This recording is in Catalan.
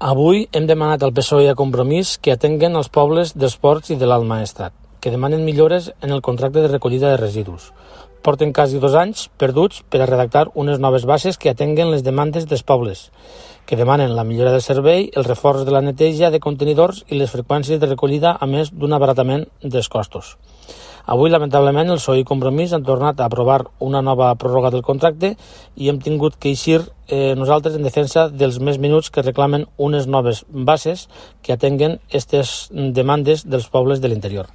Avui hem demanat al PSOE i a Compromís que atenguen els pobles dels Ports i de l'Alt Maestrat, que demanen millores en el contracte de recollida de residus. Porten quasi 2 anys perduts per a redactar unes noves bases que atenguen les demandes dels pobles, que demanen la millora del servei, el reforç de la neteja de contenidors i les freqüències de recollida, a més d'un abaratament dels costos. Avui, lamentablement, el PSOE i Compromís han tornat a aprovar una nova pròrroga del contracte i hem tingut que eixir nosaltres en defensa dels més minuts que reclamen unes noves bases que atenguen aquestes demandes dels pobles de l'interior.